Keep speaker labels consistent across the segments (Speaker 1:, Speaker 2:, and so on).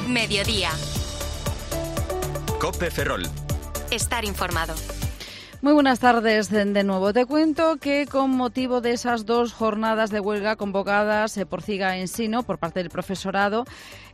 Speaker 1: Mediodía.
Speaker 2: COPE Ferrol.
Speaker 1: Estar informado.
Speaker 3: Muy buenas tardes de nuevo. Te cuento que con motivo de esas 2 jornadas de huelga convocadas por CIGA Ensino por parte del profesorado,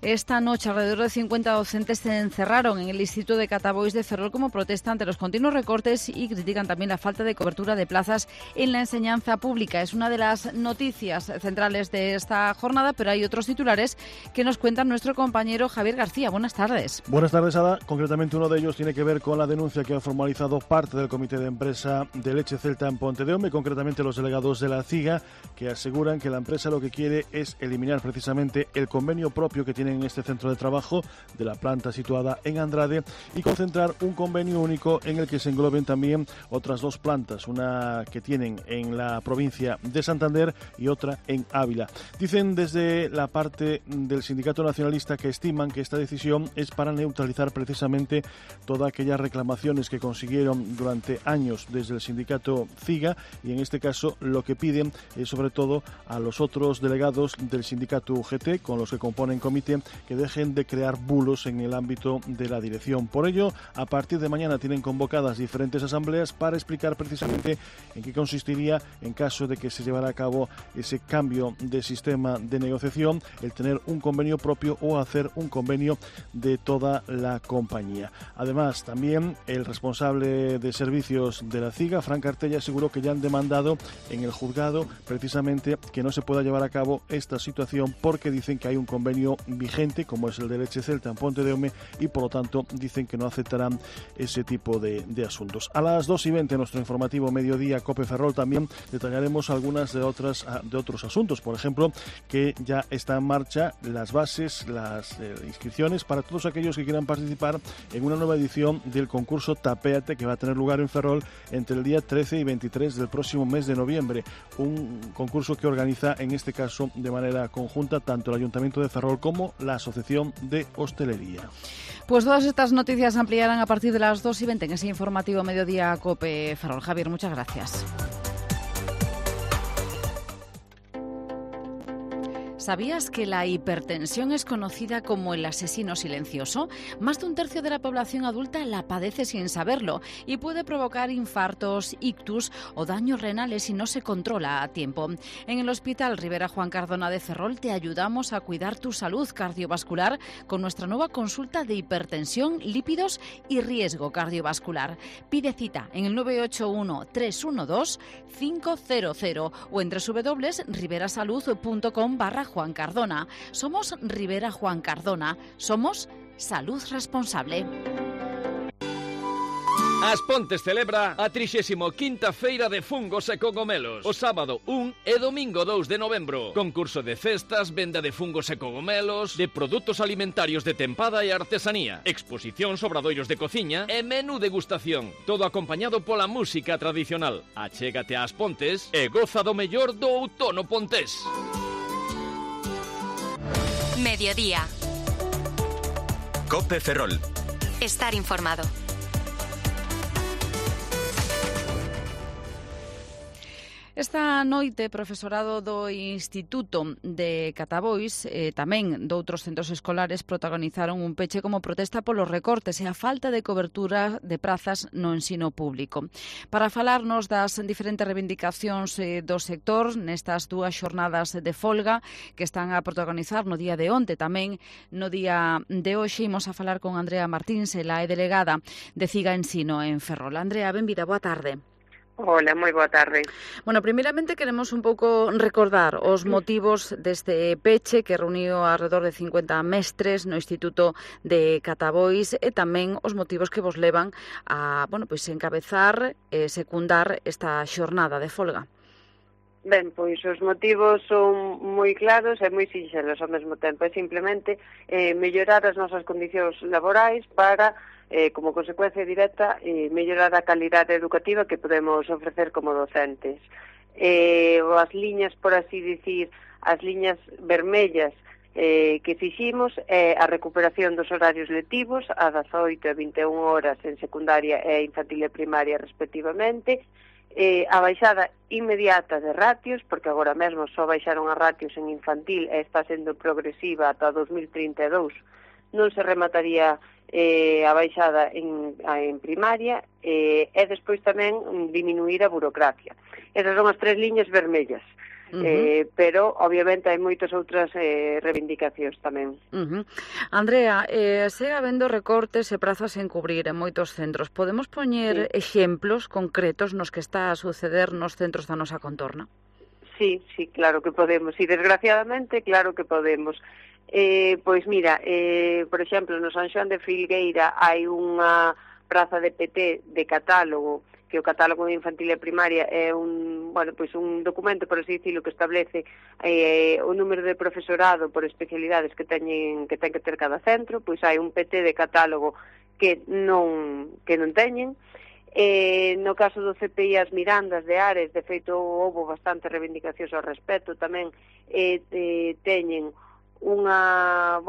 Speaker 3: esta noche alrededor de 50 docentes se encerraron en el Instituto de Catabois de Ferrol como protesta ante los continuos recortes y critican también la falta de cobertura de plazas en la enseñanza pública. Es una de las noticias centrales de esta jornada, pero hay otros titulares que nos cuenta nuestro compañero Javier García. Buenas tardes.
Speaker 4: Buenas tardes, Ada. Concretamente uno de ellos tiene que ver con la denuncia que ha formalizado parte del Comité de Empresa de Leche Celta en Pontedeume, concretamente los delegados de la CIGA, que aseguran que la empresa lo que quiere es eliminar precisamente el convenio propio que tienen en este centro de trabajo de la planta situada en Andrade y concentrar un convenio único en el que se engloben también otras 2 plantas, una que tienen en la provincia de Santander y otra en Ávila. Dicen desde la parte del Sindicato Nacionalista que estiman que esta decisión es para neutralizar precisamente todas aquellas reclamaciones que consiguieron durante años desde el sindicato CIGA, y en este caso lo que piden es sobre todo a los otros delegados del sindicato UGT con los que componen comité que dejen de crear bulos en el ámbito de la dirección. Por ello, a partir de mañana tienen convocadas diferentes asambleas para explicar precisamente en qué consistiría en caso de que se llevara a cabo ese cambio de sistema de negociación, el tener un convenio propio o hacer un convenio de toda la compañía. Además, también el responsable de servicios de la CIGA, Fran Cartella, aseguró que ya han demandado en el juzgado precisamente que no se pueda llevar a cabo esta situación porque dicen que hay un convenio vigente como es el de Leche Celta en Pontedeume y por lo tanto dicen que no aceptarán ese tipo de asuntos. A las 2:20 en nuestro informativo Mediodía COPE Ferrol también detallaremos algunas de otros asuntos, por ejemplo que ya está en marcha las bases, las inscripciones para todos aquellos que quieran participar en una nueva edición del concurso Tapéate que va a tener lugar en Ferrol entre el día 13 y 23 del próximo mes de noviembre, un concurso que organiza en este caso de manera conjunta tanto el Ayuntamiento de Ferrol como la Asociación de Hostelería.
Speaker 3: Pues todas estas noticias se ampliarán a partir de las 2:20 en ese informativo Mediodía COPE Ferrol. Javier, muchas gracias. ¿Sabías que la hipertensión es conocida como el asesino silencioso? Más de 1/3 de la población adulta la padece sin saberlo y puede provocar infartos, ictus o daños renales si no se controla a tiempo. En el Hospital Ribera Juan Cardona de Ferrol te ayudamos a cuidar tu salud cardiovascular con nuestra nueva consulta de hipertensión, lípidos y riesgo cardiovascular. Pide cita en el 981 312 500 o en www.riberasalud.com/Juan Cardona. Somos Ribera Juan Cardona. Somos Salud Responsable.
Speaker 5: As Pontes celebra a 35ª Feira de Fungos e Cogomelos o sábado 1 e domingo 2 de novembro. Concurso de cestas, venda de fungos e cogomelos, de produtos alimentarios de tempada e artesanía, exposición, obradoiros de cociña e menú degustación. Todo acompañado pola música tradicional. Achégate ás Pontes e goza do mellor do outono pontés.
Speaker 1: Mediodía.
Speaker 2: COPE Ferrol.
Speaker 1: Estar informado.
Speaker 3: Esta noite, profesorado do Instituto de Catabois tamén doutros centros escolares protagonizaron un peche como protesta polos recortes e a falta de cobertura de prazas no ensino público. Para falarnos das diferentes reivindicacións do sector nestas 2 xornadas de folga que están a protagonizar no día de onte, tamén no día de hoxe, imos a falar con Andrea Martíns, ela é delegada de CIGA Ensino en Ferrol. Andrea, benvida, boa tarde.
Speaker 6: Hola, moi boa tarde.
Speaker 3: Bueno, primeiramente queremos un pouco recordar os motivos deste peche que reuniu alrededor de 50 mestres no Instituto de Catabois e tamén os motivos que vos levan a, encabezar e secundar esta xornada de folga.
Speaker 6: Ben, pois os motivos son moi claros e moi sinxelos ao mesmo tempo. É simplemente mellorar as nosas condicións laborais para como consecuencia directa, mellorar a calidade educativa que podemos ofrecer como docentes. As liñas, por así dicir, as liñas vermellas que fiximos é a recuperación dos horarios lectivos a 18 e 21 horas en secundaria e infantil e primaria respectivamente, a baixada inmediata de ratios, porque agora mesmo só baixaron as ratios en infantil e está sendo progresiva ata 2032 non se remataría a baixada en primaria e despois tamén diminuir a burocracia. Esas son as 3 liñas vermellas. Pero obviamente hai moitas outras reivindicacións tamén.
Speaker 3: Andrea, segue habendo recortes e prazas en cubrir en moitos centros. Podemos poñer exemplos concretos nos que está a suceder nos centros da nosa contorna?
Speaker 6: Sí, claro que podemos. E desgraciadamente, claro que podemos. Pois mira, por exemplo, no San Xoán de Filgueira hai unha praza de PT de catálogo, que o catálogo de infantil e primaria é un documento, por así dicilo, que establece o número de profesorado por especialidades que ten que ter cada centro. Pois hai un PT de catálogo que non teñen. No caso do CPI as Mirandas de Ares, de feito, houve bastante reivindicacións ao respecto, tamén teñen unha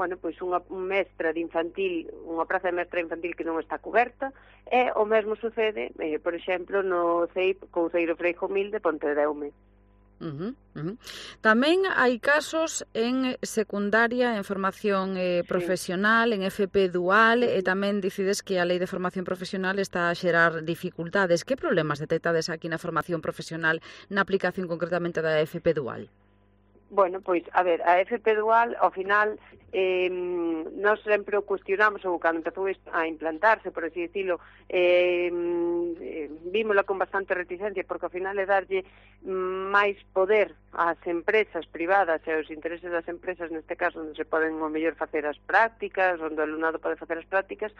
Speaker 6: mestra de infantil, unha praza de mestra infantil que non está coberta, e o mesmo sucede, por exemplo, no CEIP Couceiro Freixo Mil de Pontedeume.
Speaker 3: Tamén hai casos en secundaria, en formación profesional, en FP dual, e tamén dicides que a Lei de Formación Profesional está a xerar dificultades. Que problemas detectades aquí na formación profesional, na aplicación concretamente da FP dual?
Speaker 6: Bueno, pois, a ver, a FP dual, ao final, nós sempre o cuestionamos, ou cando empezou a implantarse, por así dicilo, vímola con bastante reticencia, porque ao final é darlle máis poder ás empresas privadas e aos intereses das empresas, neste caso, onde se poden ao mellor facer as prácticas, onde o alumnado pode facer as prácticas,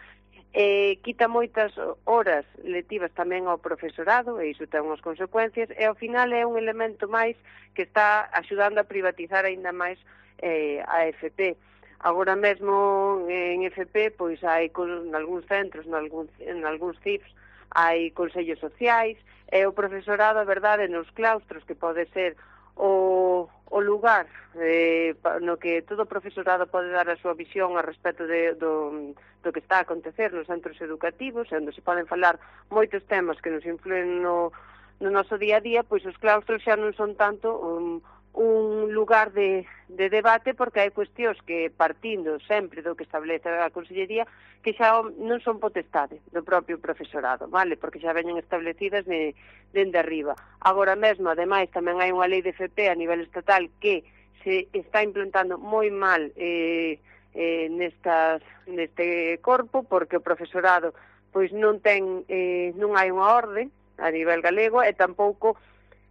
Speaker 6: quita moitas horas lectivas tamén ao profesorado, e iso ten unhas consecuencias, e ao final é un elemento máis que está axudando a privatizar aínda máis a FP. Agora mesmo en FP, pois hai en algúns centros, en algúns CIFs, hai consellos sociais, e o profesorado, a verdade, nos claustros, que pode ser o lugar no que todo o profesorado pode dar a súa visión a respecto do que está a acontecer nos centros educativos, onde se poden falar moitos temas que nos influen no noso día a día, pois os claustros xa non son tanto un lugar de debate, porque hai cuestións que, partindo sempre do que establece a Consellería, que xa non son potestade do propio profesorado, vale? Porque xa veñen establecidas dende arriba. Agora mesmo, ademais, tamén hai unha lei de FP a nivel estatal que se está implantando moi mal neste corpo, porque o profesorado pois non hai unha orde a nivel galego, e tampouco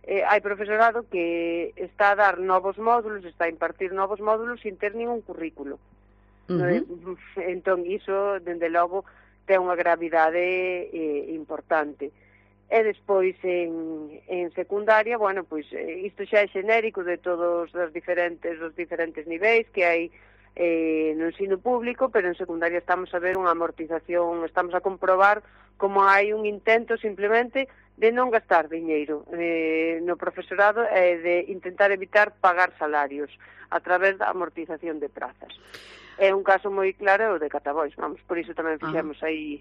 Speaker 6: hai profesorado que está a dar novos módulos, está a impartir novos módulos sin ter ningún currículo. Entón, iso, dende logo, ten unha gravidade importante. E despois, en secundaria, bueno, pois, isto xa é xenérico de todos os diferentes niveis que hai no ensino público, pero en secundaria estamos a ver unha amortización, estamos a comprobar como hai un intento simplemente de non gastar diñeiro no profesorado e de intentar evitar pagar salarios a través da amortización de prazas. É un caso moi claro o de Catabois, vamos, por iso tamén fixemos aí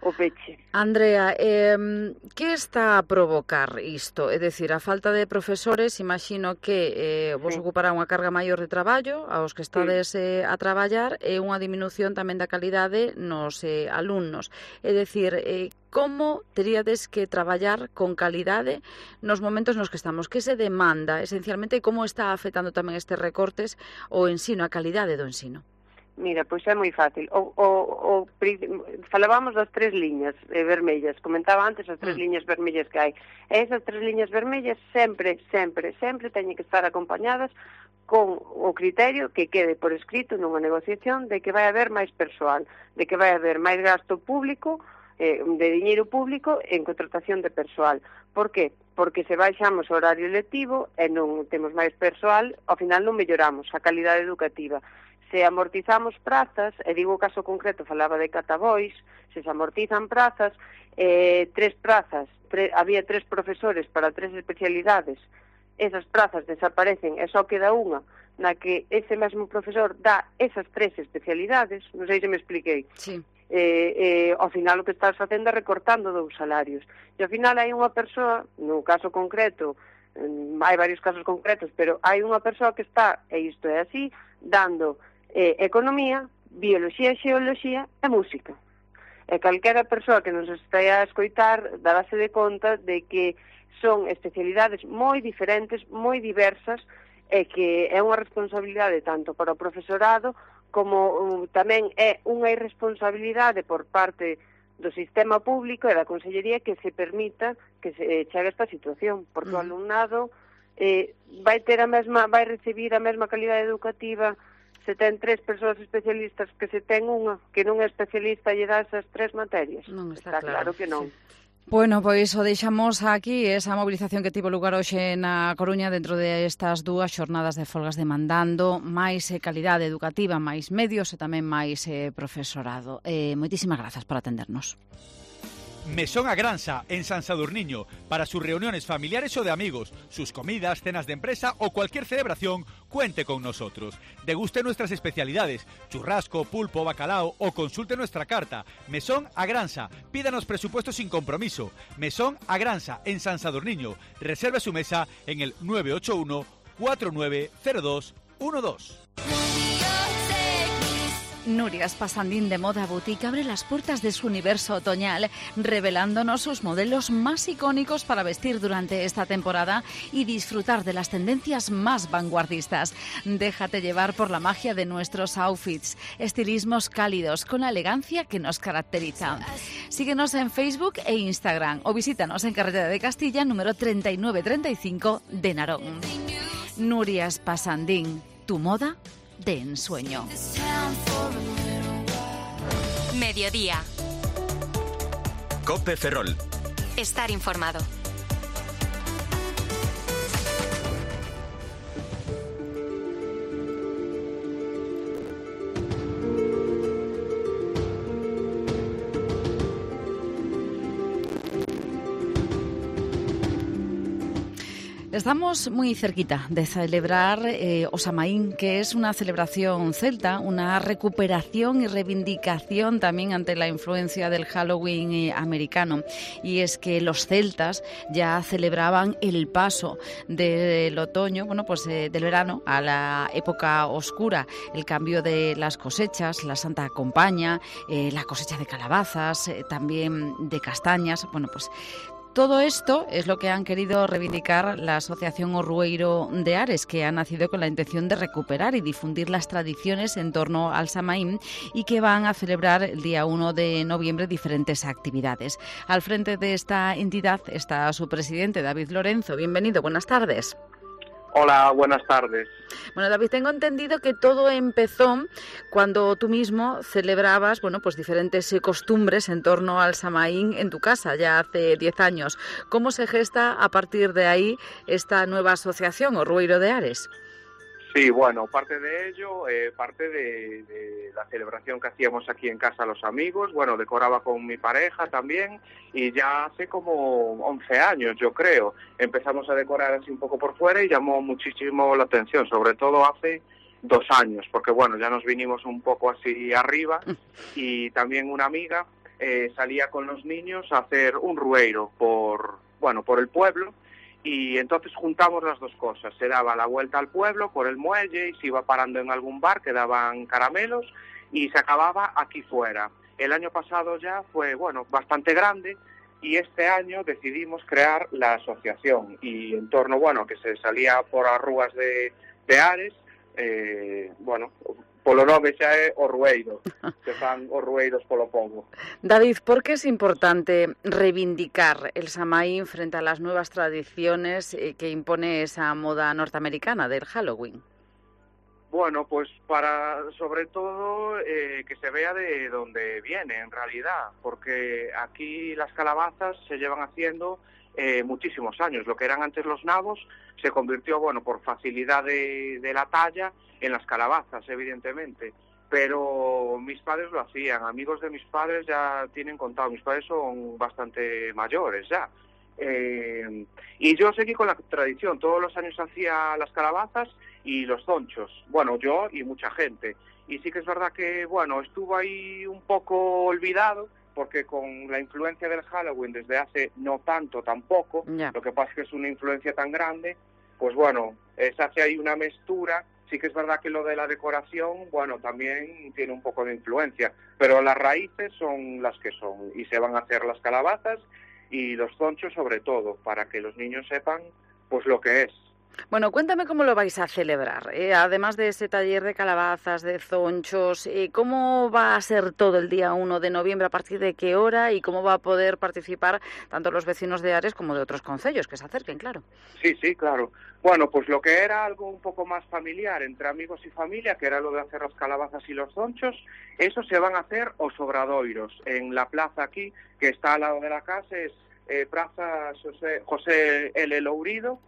Speaker 6: o peche.
Speaker 3: Andrea, que está a provocar isto? É dicir, a falta de profesores, imagino que vos ocupará unha carga maior de traballo aos que estades a traballar, e unha diminución tamén da calidade nos alumnos. É dicir, como teríades que traballar con calidade nos momentos nos que estamos? Que se demanda, esencialmente, e como está afectando tamén estes recortes o ensino, a calidade do ensino?
Speaker 6: Mira, pois é moi fácil. Falábamos das 3 liñas vermellas. Comentaba antes as 3 liñas vermellas que hai. E esas 3 liñas vermellas sempre teñen que estar acompañadas con o criterio que quede por escrito nunha negociación de que vai haber máis persoal, de que vai haber máis gasto público, de diñeiro público en contratación de persoal. Por que? Porque se baixamos o horario lectivo e non temos máis persoal, ao final non melloramos a calidade educativa. Se amortizamos prazas, e digo o caso concreto, falaba de Catabois, se amortizan prazas, había 3 profesores para 3 especialidades, esas prazas desaparecen e só queda unha na que ese mesmo profesor dá esas 3 especialidades, non sei se me expliquei.
Speaker 3: Sí.
Speaker 6: Ao final o que estás facendo é recortando 2 salarios. E ao final hai unha persoa, no caso concreto, hai varios casos concretos, pero hai unha persoa que está, e isto é así, dando economía bioloxía, xeoloxía e música. E calquera persoa que nos estea a escoitar darase de conta de que son especialidades moi diferentes, moi diversas, e que é unha responsabilidade tanto para o profesorado como tamén é unha irresponsabilidade por parte do sistema público e da Consellería que se permita que se chegue a esta situación, porque o alumnado vai recibir a mesma calidade educativa se ten 3 persoas especialistas que se ten unha, que non é especialista e dá esas 3 materias.
Speaker 3: Non está
Speaker 6: claro que non.
Speaker 3: Sí. Bueno, pois o deixamos aquí, esa mobilización que tivo lugar hoxe na Coruña dentro de estas 2 xornadas de folgas demandando máis calidade educativa, máis medios e tamén máis profesorado. Moitísimas grazas por atendernos.
Speaker 2: Mesón Agransa, en San Sadurniño, para sus reuniones familiares o de amigos, sus comidas, cenas de empresa o cualquier celebración, cuente con nosotros. Deguste nuestras especialidades, churrasco, pulpo, bacalao o consulte nuestra carta. Mesón Agransa, pídanos presupuesto sin compromiso. Mesón Agransa, en San Sadurniño. Reserve su mesa en el 981 490212.
Speaker 3: Nuria Spasandín de Moda Boutique abre las puertas de su universo otoñal, revelándonos sus modelos más icónicos para vestir durante esta temporada y disfrutar de las tendencias más vanguardistas. Déjate llevar por la magia de nuestros outfits, estilismos cálidos con la elegancia que nos caracteriza. Síguenos en Facebook e Instagram o visítanos en Carretera de Castilla, número 3935 de Narón. Nuria Spasandín, tu moda de ensueño.
Speaker 1: Mediodía.
Speaker 7: COPE Ferrol.
Speaker 1: Estar informado.
Speaker 3: Estamos muy cerquita de celebrar o Samaín, que es una celebración celta, una recuperación y reivindicación también ante la influencia del Halloween americano. Y es que los celtas ya celebraban el paso del otoño, del verano a la época oscura, el cambio de las cosechas, la Santa Compaña, la cosecha de calabazas, también de castañas, todo esto es lo que han querido reivindicar la Asociación Orrueiro de Ares, que ha nacido con la intención de recuperar y difundir las tradiciones en torno al Samaín y que van a celebrar el día 1 de noviembre diferentes actividades. Al frente de esta entidad está su presidente, David Lorenzo. Bienvenido, buenas tardes.
Speaker 8: Hola, buenas tardes.
Speaker 3: Bueno, David, tengo entendido que todo empezó cuando tú mismo celebrabas, diferentes costumbres en torno al Samaín en tu casa, ya hace 10 años. ¿Cómo se gesta a partir de ahí esta nueva asociación, Orrueiro de Ares?
Speaker 8: Sí, bueno, parte de ello, parte de la celebración que hacíamos aquí en casa los amigos, decoraba con mi pareja también y ya hace como 11 años, yo creo, empezamos a decorar así un poco por fuera y llamó muchísimo la atención, sobre todo hace 2 años, porque ya nos vinimos un poco así arriba y también una amiga salía con los niños a hacer un rueiro por el pueblo. Y entonces juntamos las dos cosas, se daba la vuelta al pueblo por el muelle y se iba parando en algún bar que daban caramelos y se acababa aquí fuera. El año pasado ya fue, bastante grande y este año decidimos crear la asociación y en torno, que se salía por as rúas de Ares, polo nome xa é Orrueiro, que fan orrueiros polo pobo.
Speaker 3: David, ¿por qué es importante reivindicar el Samaín frente a las nuevas tradiciones que impone esa moda norteamericana del Halloween?
Speaker 8: Para, sobre todo, que se vea de dónde viene, en realidad, porque aquí las calabazas se llevan haciendo muchísimos años. Lo que eran antes los nabos se convirtió, por facilidad de la talla, en las calabazas, evidentemente. Pero mis padres lo hacían, amigos de mis padres ya tienen contado, mis padres son bastante mayores ya. Y yo seguí con la tradición, todos los años hacía las calabazas y los zonchos, yo y mucha gente. Y sí que es verdad que, estuvo ahí un poco olvidado, porque con la influencia del Halloween desde hace no tanto tampoco, lo que pasa es que es una influencia tan grande, se hace ahí una mezcla Sí que es verdad que lo de la decoración, bueno, también tiene un poco de influencia, pero las raíces son las que son y se van a hacer las calabazas y los zonchos sobre todo, para que los niños sepan pues lo que es.
Speaker 3: Bueno, cuéntame cómo lo vais a celebrar, además de ese taller de calabazas, de zonchos, ¿cómo va a ser todo el día 1 de noviembre, a partir de qué hora y cómo va a poder participar tanto los vecinos de Ares como de otros concellos que se acerquen, claro?
Speaker 8: Sí, claro. Bueno, pues lo que era algo un poco más familiar entre amigos y familia, que era lo de hacer las calabazas y los zonchos, eso se van a hacer os obradoiros en la plaza aquí, que está al lado de la casa, es Plaza José L. Lourido.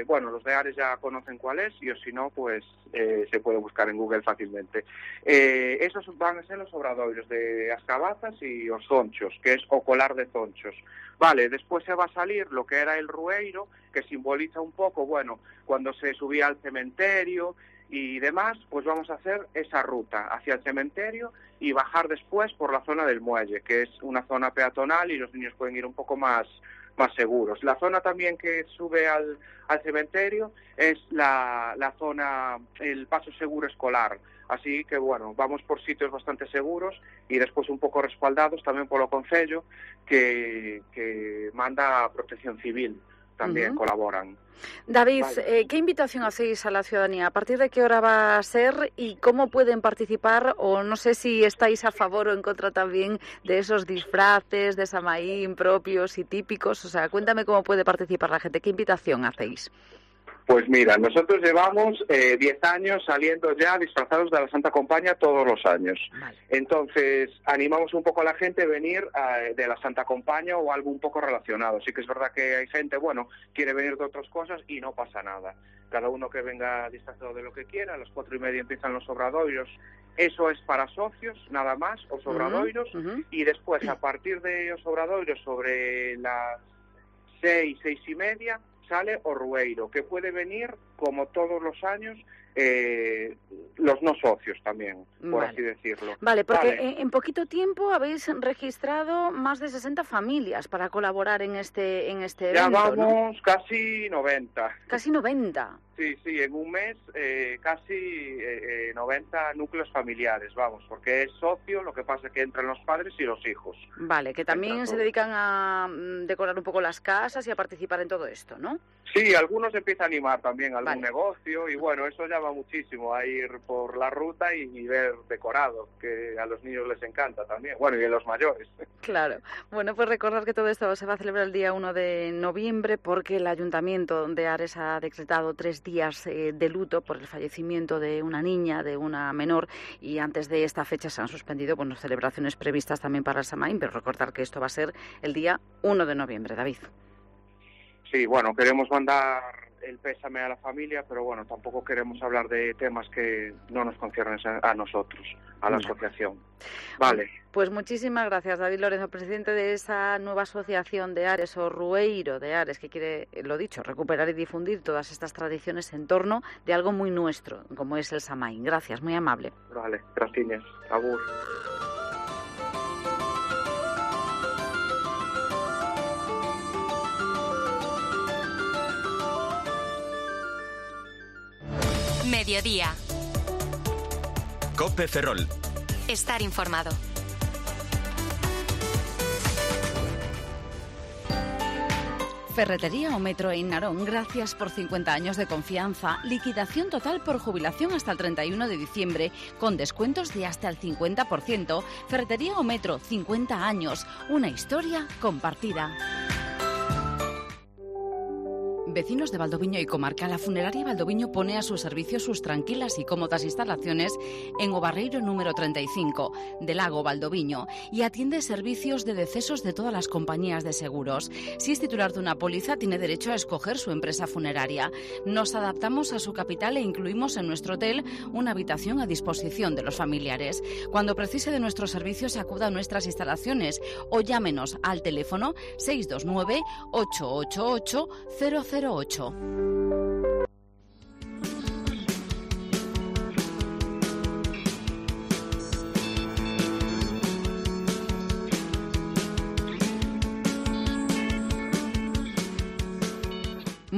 Speaker 8: Bueno, los de Ares ya conocen cuál es, y o si no, pues se puede buscar en Google fácilmente. Esos van a ser los obradoiros de as cabazas y os zonchos, que es o colar de zonchos. Vale, después se va a salir lo que era el rueiro, que simboliza un poco, bueno, cuando se subía al cementerio y demás, pues vamos a hacer esa ruta hacia el cementerio y bajar después por la zona del muelle, que es una zona peatonal y los niños pueden ir un poco más seguros. La zona también que sube al cementerio es la zona, el paso seguro escolar. Así que, bueno, vamos por sitios bastante seguros y después un poco respaldados también por lo Concello, que manda Protección Civil, también colaboran.
Speaker 3: David,
Speaker 8: Vale.
Speaker 3: ¿qué invitación hacéis a la ciudadanía? ¿A partir de qué hora va a ser y cómo pueden participar? O no sé si estáis a favor o en contra también de esos disfraces de Samaín propios y típicos. O sea, cuéntame cómo puede participar la gente. ¿Qué invitación hacéis?
Speaker 8: Pues mira, nosotros llevamos 10 años saliendo ya disfrazados de la Santa Compaña todos los años.
Speaker 3: Vale.
Speaker 8: Entonces, animamos un poco a la gente a venir de la Santa Compaña o algo un poco relacionado. Sí que es verdad que hay gente, bueno, quiere venir de otras cosas y no pasa nada. Cada uno que venga disfrazado de lo que quiera, a las 4:30 empiezan los obradoiros. Eso es para socios, nada más, os obradoiros. Y después, a partir de os obradoiros, sobre las 6:30, sale o rueiro, que puede venir, como todos los años, los no socios también, por así decirlo.
Speaker 3: Vale, porque en poquito tiempo habéis registrado más de 60 familias para colaborar en este evento,
Speaker 8: ya vamos,
Speaker 3: ¿no?
Speaker 8: Casi 90.
Speaker 3: Casi 90.
Speaker 8: Sí, en un mes casi 90 núcleos familiares, vamos, porque es socio, lo que pasa es que entran los padres y los hijos.
Speaker 3: Vale, que también se dedican a decorar un poco las casas y a participar en todo esto, ¿no?
Speaker 8: Sí, algunos empiezan a animar también algún negocio y bueno, eso llama muchísimo a ir por la ruta y ver decorado, que a los niños les encanta también, bueno, y a los mayores.
Speaker 3: Claro. Bueno, pues recordar que todo esto se va a celebrar el día 1 de noviembre porque el Ayuntamiento de Ares ha decretado 3 días de luto por el fallecimiento de una niña, de una menor, y antes de esta fecha se han suspendido celebraciones previstas también para el Samaín, pero recordar que esto va a ser el día 1 de noviembre, David.
Speaker 8: Sí, bueno, queremos mandar el pésame a la familia, pero bueno, tampoco queremos hablar de temas que no nos conciernen a nosotros, a la asociación. Vale.
Speaker 3: Pues muchísimas gracias, David Lorenzo, presidente de esa nueva asociación de Ares, o Rueiro de Ares, que quiere, lo dicho, recuperar y difundir todas estas tradiciones en torno de algo muy nuestro, como es el Samaín. Gracias, muy amable.
Speaker 8: Vale, gracias. Agur.
Speaker 1: Mediodía.
Speaker 7: COPE Ferrol.
Speaker 1: Estar informado.
Speaker 3: Ferretería o Metro en Narón, gracias por 50 años de confianza. Liquidación total por jubilación hasta el 31 de diciembre, con descuentos de hasta el 50%. Ferretería o Metro, 50 años. Una historia compartida. Vecinos de Valdoviño y comarca, la funeraria Valdoviño pone a su servicio sus tranquilas y cómodas instalaciones en o Barreiro número 35 de Lago Valdoviño y atiende servicios de decesos de todas las compañías de seguros. Si es titular de una póliza, tiene derecho a escoger su empresa funeraria. Nos adaptamos a su capital e incluimos en nuestro hotel una habitación a disposición de los familiares. Cuando precise de nuestros servicios, acuda a nuestras instalaciones o llámenos al teléfono 629 888 008.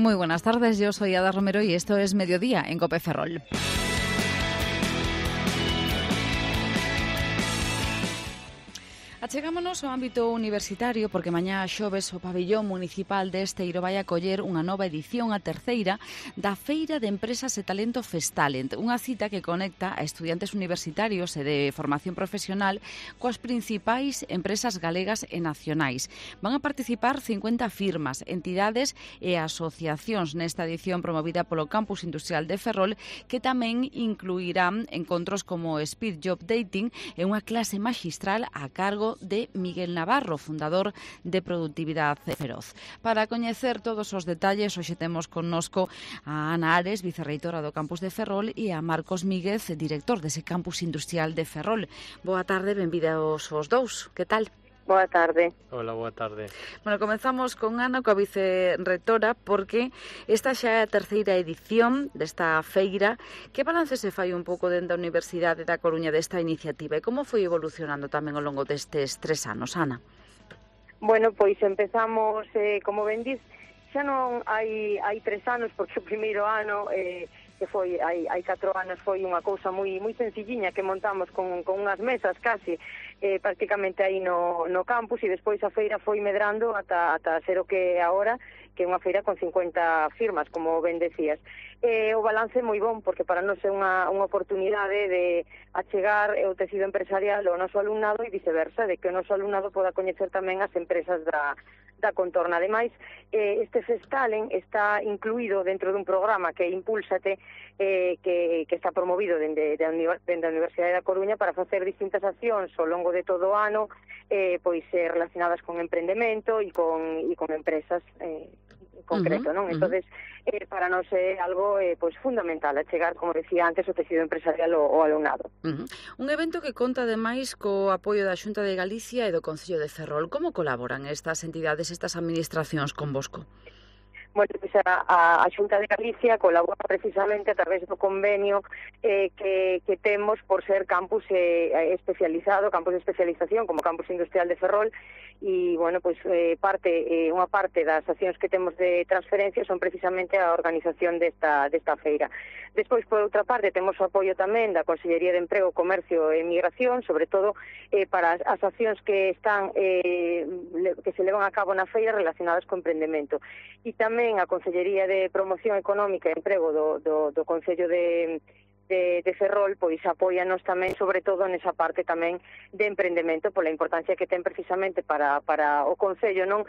Speaker 3: Muy buenas tardes, yo soy Ada Romero y esto es Mediodía en COPE Ferrol. Achegámonos ao ámbito universitario porque mañá xoves o pabillón municipal de Esteiro vai acoller unha nova edición, a terceira, da Feira de Empresas e Talento Festalent, unha cita que conecta a estudiantes universitarios e de formación profesional coas principais empresas galegas e nacionais. Van a participar 50 firmas, entidades e asociacións nesta edición promovida polo Campus Industrial de Ferrol, que tamén incluirán encontros como Speed Job Dating e unha clase maxistral a cargo de Miguel Navarro, fundador de Productividade Feroz. Para coñecer todos os detalles, hoxe temos connosco a Ana Ares, vicerreitora do Campus de Ferrol, e a Marcos Míguez, director dese Campus Industrial de Ferrol. Boa tarde, benvidos os dous. Que tal?
Speaker 6: Boa tarde.
Speaker 7: Hola, boa tarde.
Speaker 3: Bueno, comenzamos con Ana, coa vicerrectora, porque esta xa é a terceira edición desta feira. Que balance se fai un pouco dentro da Universidade da Coruña desta iniciativa e como foi evolucionando tamén ao longo destes 3 anos, Ana?
Speaker 6: Bueno, pois empezamos, como ben dis, xa non hai 3 anos, porque o primeiro ano, que foi hai 4 anos, foi unha cousa moi sencilliña que montamos con unhas mesas casi, prácticamente aí no campus, e despois a feira foi medrando ata ser o que é agora, que é unha feira con 50 firmas, como ben decías. O balance é moi bon, porque para nós é unha oportunidade de achegar o tecido empresarial ao noso alumnado e viceversa, de que o noso alumnado poda coñecer tamén as empresas da contorna. Ademais, este Festalent está incluído dentro dun programa que é Impúlsate, que está promovido dende a Universidade da Coruña para facer distintas accións ao longo de todo o ano, pois relacionadas con emprendemento e con empresas concreto, non? Entonces, para nós é algo pois fundamental, a chegar, como decía antes, o tecido empresarial ao alumnado.
Speaker 3: Un evento que conta ademais co apoio da Xunta de Galicia e do Concello de Ferrol. Como colaboran estas entidades, estas administracións convosco?
Speaker 6: Bueno, pois a Xunta de Galicia colabora precisamente a través do convenio que temos por ser campus especializado, campus de especialización, como Campus Industrial de Ferrol, e, bueno, pois unha parte das accións que temos de transferencia son precisamente a organización desta feira. Despois, por outra parte, temos o apoio tamén da Consellería de Emprego, Comercio e Migración, sobre todo para as accións que están que se levan a cabo na feira relacionadas co emprendemento. E tamén a Consellería de Promoción Económica e Emprego do Concello de Ferrol, pois apóianos tamén, sobre todo nesa parte tamén de emprendemento, pola importancia que ten precisamente para o Concello, non?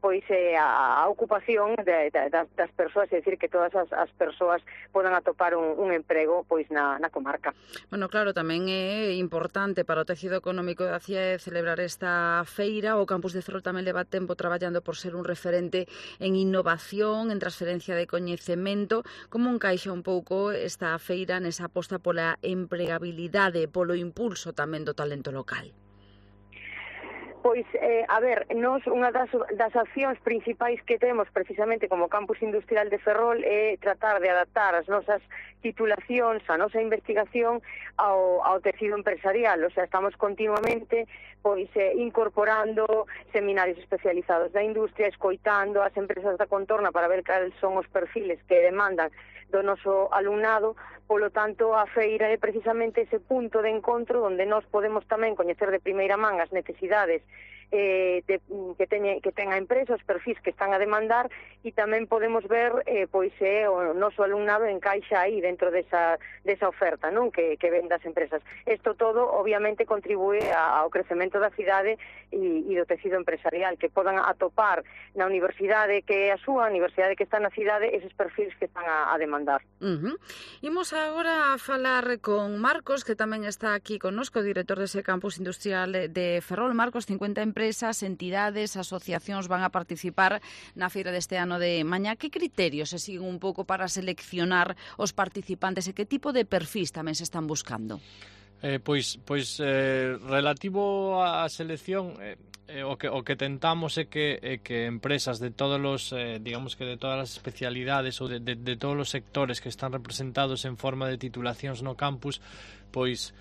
Speaker 6: Pois a ocupación das persoas, é dicir, que todas as persoas podan atopar un emprego pois na comarca.
Speaker 3: Bueno, claro, tamén é importante para o tecido económico da CIE celebrar esta feira. O Campus de Ferrol tamén leva tempo traballando por ser un referente en innovación, en transferencia de coñecemento. Como encaixa un pouco esta feira nesa aposta pola empregabilidade, polo impulso tamén do talento local?
Speaker 6: Pois, a ver, nós unha das accións principais que temos precisamente como Campus Industrial de Ferrol é tratar de adaptar as nosas titulacións, a nosa investigación ao tecido empresarial. O sea, estamos continuamente pois incorporando seminarios especializados da industria, escoitando as empresas da contorna para ver cales son os perfiles que demandan do noso alumnado. Polo tanto, a feira é precisamente ese punto de encontro onde nós podemos tamén coñecer de primeira man as necesidades que ten a empresa, os perfis que están a demandar, e tamén podemos ver pois o noso alumnado encaixa aí dentro desa oferta, non, que ven das empresas. Isto todo obviamente contribúe ao crecemento da cidade e do tecido empresarial, que podan atopar na universidade que é a súa, a universidade que está na cidade, eses perfis que están a demandar.
Speaker 3: Imos agora a falar con Marcos, que tamén está aquí connosco, director dese Campus Industrial de Ferrol. Marcos, 50 empresas, entidades, asociacións van a participar na feira deste ano de mañá. Que criterios se siguen un pouco para seleccionar os participantes e que tipo de perfis tamén se están buscando?
Speaker 7: Relativo á selección, o que tentamos é que empresas de todos os, digamos que de todas as especialidades ou de todos os sectores que están representados en forma de titulacións no campus, pois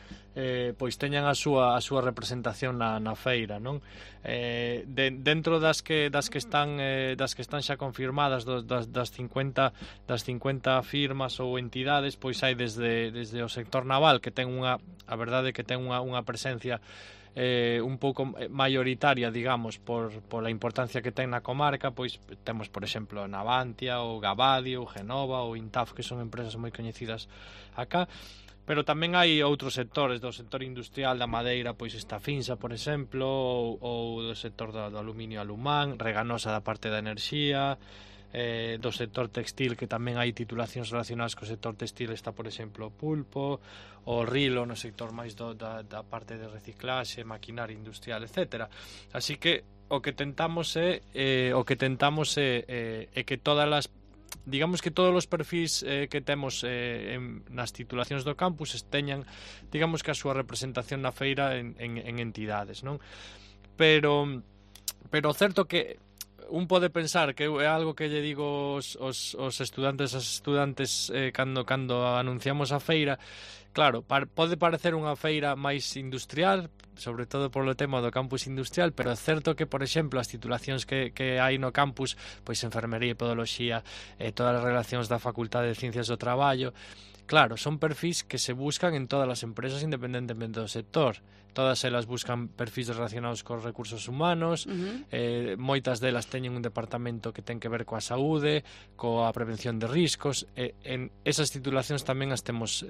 Speaker 7: pois teñan a súa representación na feira, non? Dentro das que están xa confirmadas das 50 firmas ou entidades, pois hai desde o sector naval, que ten a verdade que ten unha presencia un pouco maioritaria, digamos, por a importancia que ten na comarca. Pois temos, por exemplo, Navantia, ou Gavadio, ou Genova, ou Intaf, que son empresas moi coñecidas acá. Pero tamén hai outros sectores, do sector industrial da madeira, pois está Finsa, por exemplo, ou do sector do aluminio Alumán, Reganosa da parte da enerxía, do sector textil, que tamén hai titulacións relacionadas co sector textil, está, por exemplo, Pulpo, o Rilo no sector máis da parte de reciclaxe, maquinaria industrial, etc. Así que o que tentamos é que todas as, digamos, que todos os perfis que temos nas titulacións do campus teñan, digamos, que a súa representación na feira en entidades, non? Pero certo que un pode pensar que é algo que lle digo os estudantes cando anunciamos a feira. Claro, pode parecer unha feira máis industrial, sobre todo polo tema do campus industrial, pero é certo que, por exemplo, as titulacións que hai no campus, pois enfermería e podoloxía, todas as relacións da Facultade de Ciencias do Traballo, claro, son perfis que se buscan en todas as empresas independentemente do sector. Todas elas buscan perfis relacionados cos recursos humanos, moitas delas teñen un departamento que ten que ver coa saúde, coa prevención de riscos, en esas titulacións tamén as temos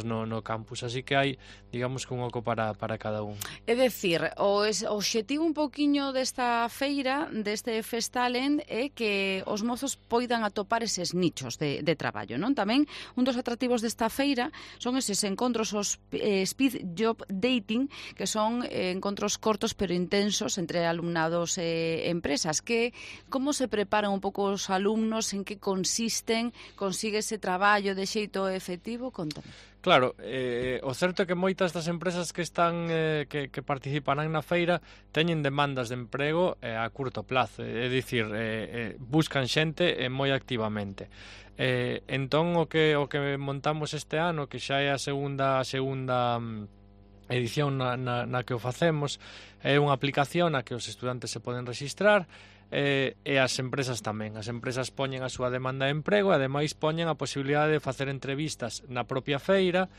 Speaker 7: no campus, así que hai, digamos, que un oco para cada un.
Speaker 3: É dicir, o obxectivo un poquinho desta feira, deste Festalent, é que os mozos poidan atopar eses nichos de traballo, non? Tamén un dos atractivos desta feira son eses encontros, os Speed Job Dating, que son encontros cortos pero intensos entre alumnados e empresas. Como se preparan un pouco os alumnos, en que consisten, consigue ese traballo de xeito efectivo? Contame.
Speaker 7: Claro, o certo é que moitas das empresas que participarán na feira teñen demandas de emprego a curto plazo, é dicir, buscan xente moi activamente. Entón, o que montamos este ano, que xa é a segunda edición na que o facemos, é unha aplicación na que os estudantes se poden registrar, e as empresas tamén. As empresas poñen a súa demanda de emprego e ademais poñen a posibilidade de facer entrevistas na propia feira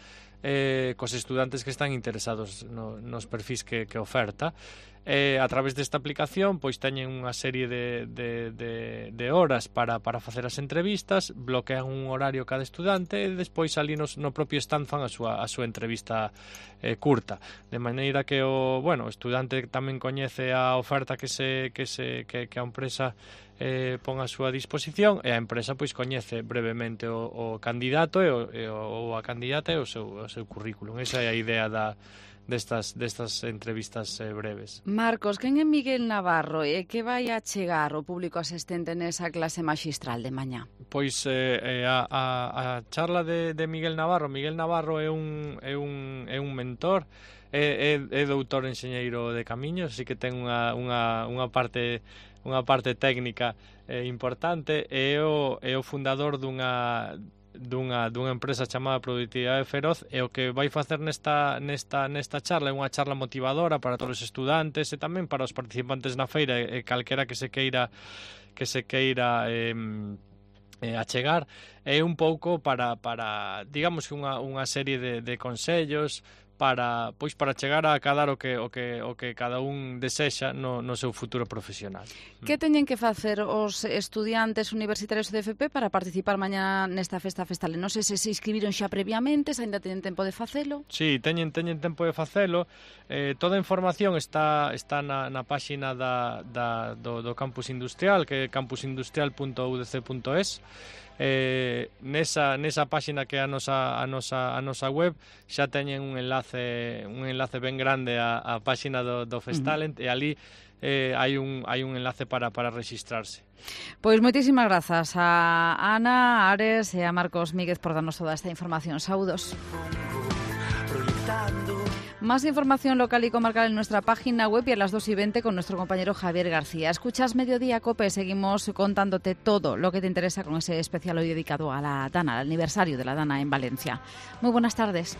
Speaker 7: cos estudantes que están interesados nos perfis que oferta. A través desta aplicación pois teñen unha serie de horas para facer as entrevistas, bloquean un horario cada estudante e despois ali no propio stand fan a súa entrevista curta, de maneira que o estudante tamén coñece a oferta que a empresa pon a súa disposición, e a empresa pois coñece brevemente o candidato ou a candidata e o seu currículum. Esa é a idea destas entrevistas breves.
Speaker 3: Marcos, quen é Miguel Navarro e que vai a chegar o público asistente nesa clase maxistral de mañá?
Speaker 7: Pois a charla de Miguel Navarro. Miguel Navarro é un mentor, é doutor enxeñeiro de camiños, así que ten unha parte técnica importante, e é o fundador dunha empresa chamada Productividade Feroz, e o que vai facer nesta charla é unha charla motivadora para todos os estudantes e tamén para os participantes na feira e calquera que se queira achegar. É un pouco para digamos que unha serie de consellos para chegar a acadar o que cada un desexa no seu futuro profesional.
Speaker 3: Que teñen que facer os estudiantes universitarios de FP para participar mañá nesta festa Festalent? Non sei se inscribiron xa previamente, se ainda teñen tempo de facelo.
Speaker 7: Sí, teñen tempo de facelo. Toda a información está na páxina do campus industrial, que é campusindustrial.udc.es. Nesa páxina que é a nosa web xa teñen un enlace ben grande á páxina do Festalent, e ali hai un enlace para registrarse.
Speaker 3: Pois moitísimas grazas a Ana Ares e a Marcos Míguez por darnos toda esta información. Saúdos. Más información local y comarcal en nuestra página web y a las 2:20 con nuestro compañero Javier García. Escuchas Mediodía COPE, seguimos contándote todo lo que te interesa con ese especial hoy dedicado a la Dana, al aniversario de la Dana en Valencia. Muy buenas tardes.